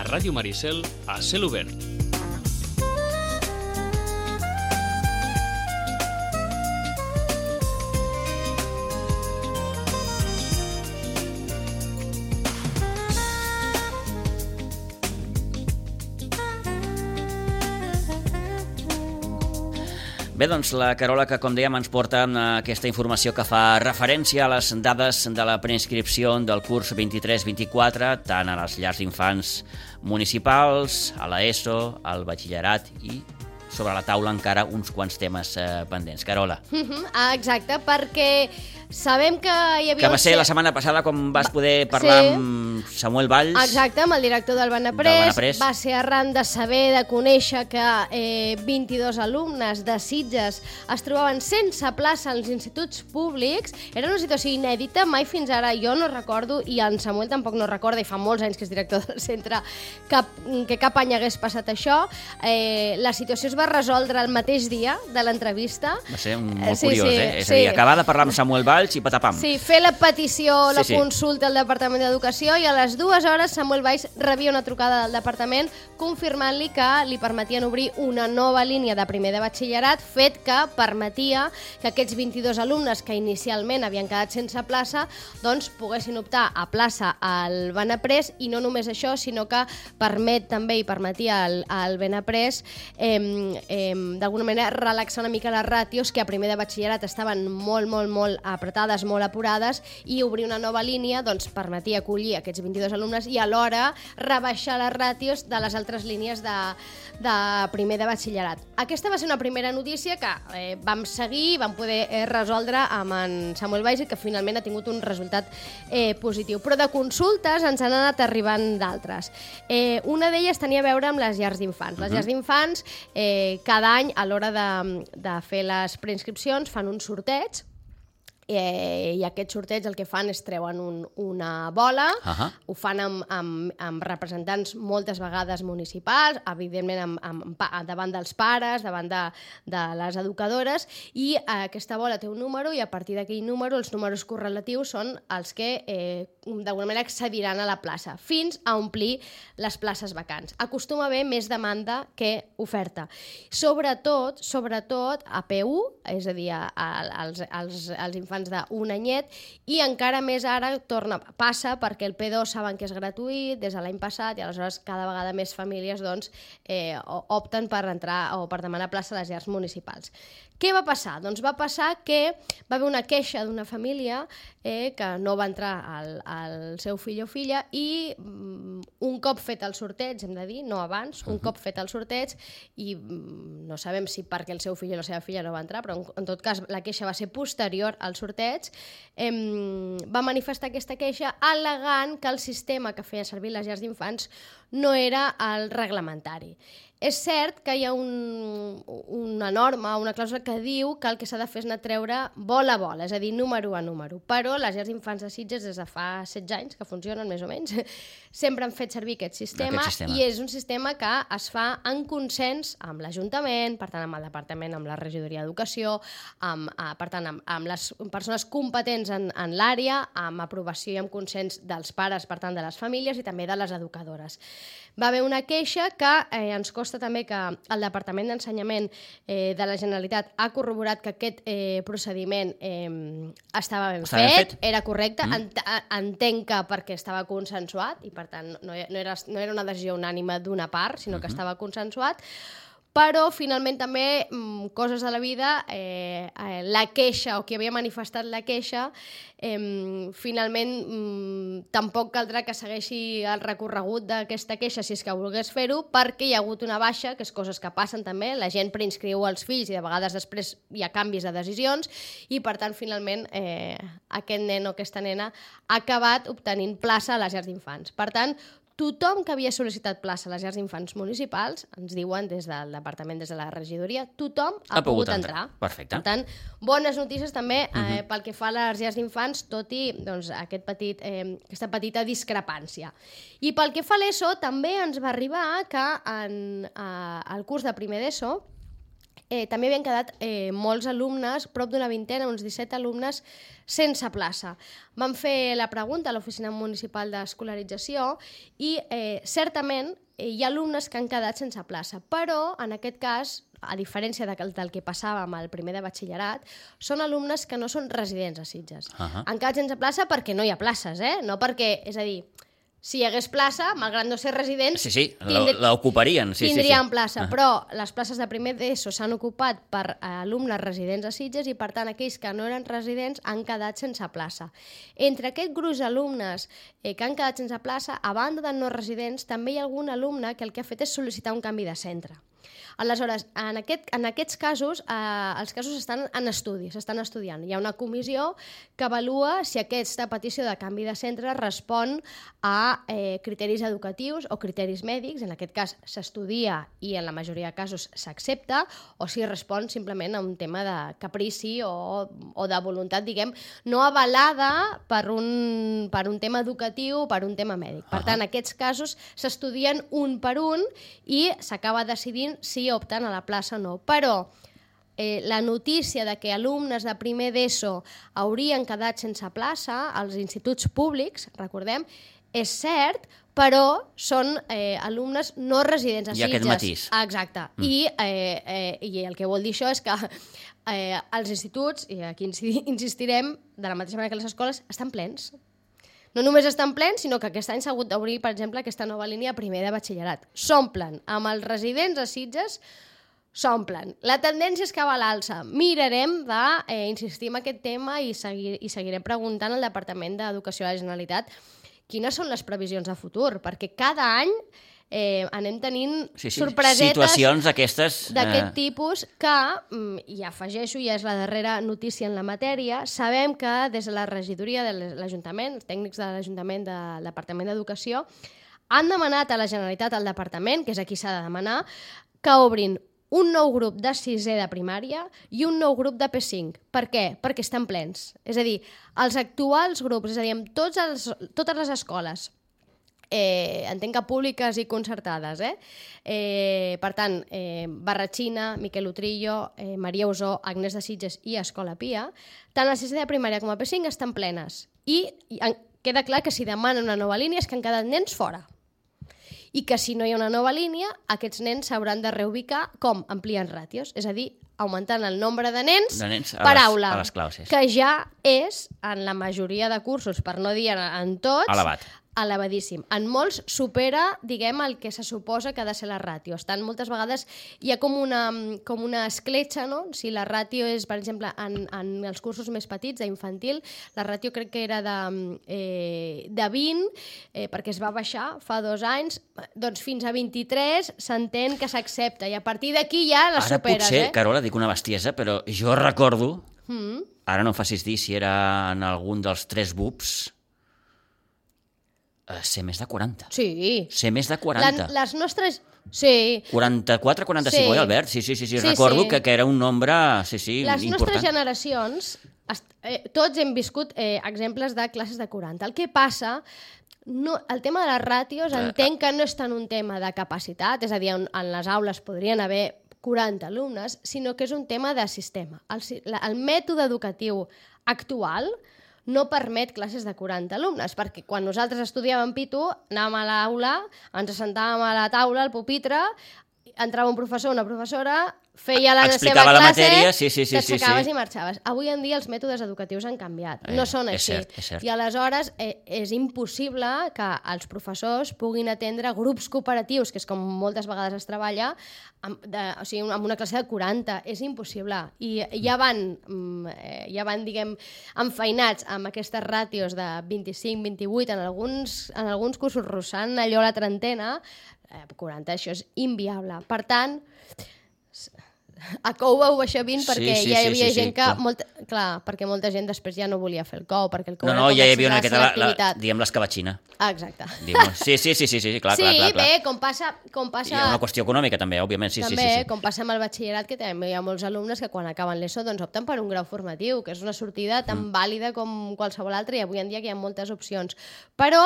Ràdio Maricel a cel obert. Bé, doncs la Carola, que com dèiem ens porta aquesta informació que fa referència a les dades de la preinscripció del curs 23-24, tant a les llars d'infants municipals, a l'ESO, al batxillerat i sobre la taula encara uns quants temes pendents. Carola. Exacte, perquè sabem que hi havia... Que va ser la setmana passada quan vas poder parlar amb Samuel Valls. Exacte, amb el director del Benaprés. Va ser arran de saber, de conèixer que 22 alumnes de Sitges es trobaven sense plaça als instituts públics. Era una situació inèdita, mai fins ara jo no recordo, i en Samuel tampoc no recorda, i fa molts anys que és director del centre, que cap any hagués passat això. La situació es va resoldre el mateix dia de l'entrevista. Va ser molt curiós, És a dir, acabar de parlar amb Samuel Valls i patapam. Sí, fer la petició, la consulta al Departament d'Educació, i a les 2 hores Samuel Valls rebia una trucada del departament confirmant-li que li permetien obrir una nova línia de primer de batxillerat, fet que permetia que aquests 22 alumnes que inicialment havien quedat sense plaça doncs poguessin optar a plaça al Benaprés, i no només això, sinó que permet també i permetia al Benaprés d'alguna manera relaxar una mica les ràtios que a primer de batxillerat estaven molt apretades, molt apurades, i obrir una nova línia doncs permetia acollir aquests 22 alumnes i alhora rebaixar les ràtios de les altres línies de primer de batxillerat. Aquesta va ser una primera notícia que vam seguir i vam poder resoldre amb en Samuel Valls, i que finalment ha tingut un resultat positiu. Però de consultes ens han anat arribant d'altres. Una d'elles tenia a veure amb les llars d'infants. Les llars d'infants cada any a l'hora de fer les preinscripcions fan un sorteig, i aquest sorteig el que fan és treuen una bola, ho fan amb representants moltes vegades municipals, evidentment davant dels pares, davant de les educadores, i aquesta bola té un número, i a partir d'aquell número els números correlatius són els que d'alguna manera accediran a la plaça, fins a omplir les places vacants. Acostuma a haver més demanda que oferta. Sobretot a P1, és a dir, als infants d'un anyet, i encara més ara passa perquè el P2 saben que és gratuït des de l'any passat, i aleshores cada vegada més famílies opten per entrar o per demanar plaça a les llars municipals. Què va passar? Doncs va passar que va haver una queixa d'una família que no va entrar al seu fill o filla, i un cop fet el sorteig, hem de dir, no abans, un cop fet el sorteig, i no sabem si perquè el seu fill o la seva filla no va entrar, però en tot cas la queixa va ser posterior al sorteig, va manifestar aquesta queixa al·legant que el sistema que feia servir les llars d'infants no era el reglamentari. És cert que hi ha una norma, una clàusula que diu que el que s'ha de fer és anar a treure bola a bola, és a dir, número a número, però les llars d'infants de Sitges des de fa 16 anys, que funcionen més o menys, sempre han fet servir aquest sistema, i és un sistema que es fa en consens amb l'Ajuntament, per tant amb el Departament, amb la Regidoria d'Educació, per tant amb les persones competents en l'àrea, amb aprovació i amb consens dels pares, per tant de les famílies, i també de les educadores. Va haver una queixa que ens consta també que el Departament d'Ensenyament de la Generalitat ha corroborat que aquest procediment estava ben fet, era correcte, entenc que perquè estava consensuat, i per tant no era una decisió unànime d'una part, sinó que estava consensuat. Però finalment també, coses de la vida, la queixa, o qui havia manifestat la queixa, finalment tampoc caldrà que segueixi el recorregut d'aquesta queixa si és que volgués fer-ho, perquè hi ha hagut una baixa, que és coses que passen també, la gent preinscriu els fills i de vegades després hi ha canvis de decisions, i per tant finalment aquest nen o aquesta nena ha acabat obtenint plaça a les llars d'infants. Per tant, tothom que havia sol·licitat plaça a les llars d'infants municipals, ens diuen des del departament, des de la regidoria, tothom ha pogut entrar. Perfecte. Per tant, bones notícies també pel que fa a les llars d'infants, tot i aquesta petita discrepància. I pel que fa a l'ESO, també ens va arribar que al curs de primer d'ESO també havien quedat molts alumnes, prop d'una vintena, uns 17 alumnes, sense plaça. Vam fer la pregunta a l'Oficina Municipal d'Escolarització i certament hi ha alumnes que han quedat sense plaça, però en aquest cas, a diferència del que passava amb el primer de batxillerat, són alumnes que no són residents a Sitges. Han quedat sense plaça perquè no hi ha places, no perquè, és a dir, si hi hagués plaça, malgrat no ser residents... Sí, l'ocuparien. Tindrien plaça, però les places de primer d'ESO s'han ocupat per alumnes residents a Sitges i, per tant, aquells que no eren residents han quedat sense plaça. Entre aquest gruix d'alumnes que han quedat sense plaça, a banda de no residents, també hi ha algun alumne que el que ha fet és sol·licitar un canvi de centre. Aleshores, en aquests casos, els casos estan en estudi, s'estan estudiant. Hi ha una comissió que avalua si aquesta petició de canvi de centre respon a criteris educatius o criteris mèdics, en aquest cas s'estudia i en la majoria de casos s'accepta, o si respon simplement a un tema de caprici o de voluntat, diguem, no avalada per un tema educatiu o per un tema mèdic. Per tant, aquests casos s'estudien un per un i s'acaba decidint si opten a la plaça o no. Però la notícia de que alumnes de primer d'ESO haurien quedat sense plaça als instituts públics, recordem, és cert, però són alumnes no residents a Sitges. Hi ha aquest matís. Exacte. I el que vol dir això és que els instituts, i aquí insistirem, de la mateixa manera que les escoles, estan plens. No només estan plens, sinó que aquest any s'ha hagut d'obrir, per exemple, aquesta nova línia primer de batxillerat. S'omplen. Amb els residents a Sitges s'omplen. La tendència és que va a l'alça. Mirarem d'insistir en aquest tema i seguirem preguntant al Departament d'Educació de la Generalitat quines són les previsions de futur, perquè cada any anem tenint sorpresetes situacions d'aquest tipus que, i afegeixo, ja és la darrera notícia en la matèria, sabem que des de la regidoria de l'Ajuntament, els tècnics de l'Ajuntament del Departament d'Educació, han demanat a la Generalitat, al Departament, que és a qui s'ha de demanar, que obrin un nou grup de sisè de primària i un nou grup de P5. Per què? Perquè estan plens. És a dir, els actuals grups, és a dir, amb totes les escoles, entenc que públiques i concertades, per tant, Barratxina, Miquel Utrillo, Maria Usó, Agnès de Sitges i Escola Pia, tant a sisè de primària com a P5 estan plenes. I queda clar que si demanen una nova línia és que han quedat nens fora. I que si no hi ha una nova línia, aquests nens s'hauran de reubicar com ampliant ràtios, és a dir, augmentant el nombre de nens per aula, a les classes, que ja és, en la majoria de cursos, per no dir en tots, elevadíssim. En molts supera, diguem, el que se suposa que ha de ser la ràtio. Moltes vegades hi ha com una escletxa, no? Si la ràtio és, per exemple, en els cursos més petits, d'infantil, la ràtio crec que era de 20, perquè es va baixar fa 2 anys, doncs fins a 23 s'entén que s'accepta, i a partir d'aquí ja la superes. Ara potser, Carola, dic una bestiesa, però jo recordo, ara no em facis dir si era en algun dels 3 BUPs, ser més de 40. Sí. Ser més de 40. Les nostres... Sí. 44, 45, oi, Albert? Sí. Recordo que era un nombre important. Les nostres generacions, tots hem viscut exemples de classes de 40. El que passa, el tema de les ràtios, entenc que no és tant un tema de capacitat, és a dir, en les aules podrien haver 40 alumnes, sinó que és un tema de sistema. El mètode educatiu actual no permet classes de 40 alumnes, perquè quan nosaltres estudiàvem Pitu, anàvem a l'aula, ens assentàvem a la taula, al pupitre, entrava un professor o una professora, feia la seva classe, t'aixecaves i marxaves. Avui en dia els mètodes educatius han canviat, no són així. És cert. I aleshores és impossible que els professors puguin atendre grups cooperatius, que és com moltes vegades es treballa, amb una classe de 40. És impossible. I ja van, diguem, enfeinats amb aquestes ràtios de 25-28, en alguns cursos rossant allò la trentena, 40, això és inviable. Per tant, a Cou vau baixar 20 perquè hi havia gent Clar, perquè molta gent després ja no volia fer el COU, perquè el COU No, ja hi havia una selectivitat. diguem, l'escabatxina. Exacte. Sí, clar. Bé, com passa... Hi ha una qüestió econòmica també, òbviament, sí. Com passa amb el batxillerat, que també hi ha molts alumnes que quan acaben l'ESO doncs opten per un grau formatiu, que és una sortida tan vàlida com qualsevol altra, i avui en dia que hi ha moltes opcions. Però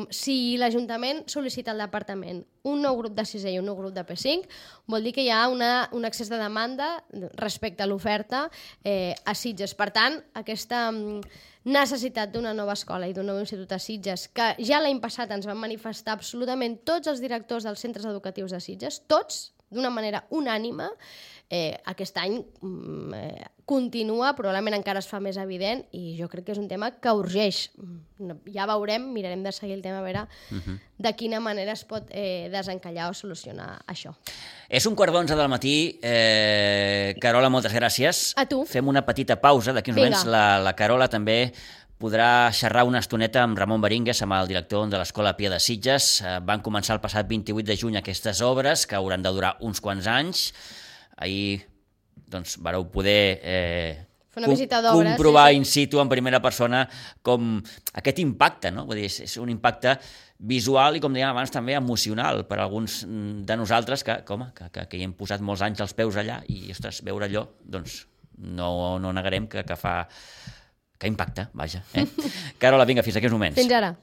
si l'Ajuntament sol·licita al departament un nou grup de 6è i un nou grup de P5, vol dir que hi ha un excés de demanda respecte a l'oferta a Sitges. Per tant, aquesta necessitat d'una nova escola i d'un nou institut a Sitges, que ja l'any passat ens van manifestar absolutament tots els directors dels centres educatius de Sitges, tots, d'una manera unànime, aquest any continua, probablement encara es fa més evident, i jo crec que és un tema que urgeix. Ja veurem, mirarem de seguir el tema, a veure de quina manera es pot desencallar o solucionar això. És 11:15 del matí. Carola, moltes gràcies. A tu. Fem una petita pausa. D'aquí uns moments la Carola també podrà xerrar una estoneta amb Ramon Berínguez, amb el director de l'Escola Pia de Sitges. Van començar el passat 28 de juny aquestes obres, que hauran de durar uns quants anys. Ahir vareu poder comprovar in situ, en primera persona, com aquest impacte, no? Vull dir, és un impacte visual i, com dèiem abans, també emocional per a alguns de nosaltres que hi hem posat molts anys els peus allà i, ostres, veure allò, doncs no negarem que fa... que impacta, vaja. Carola, vinga, fins aquí uns moments. Fins ara.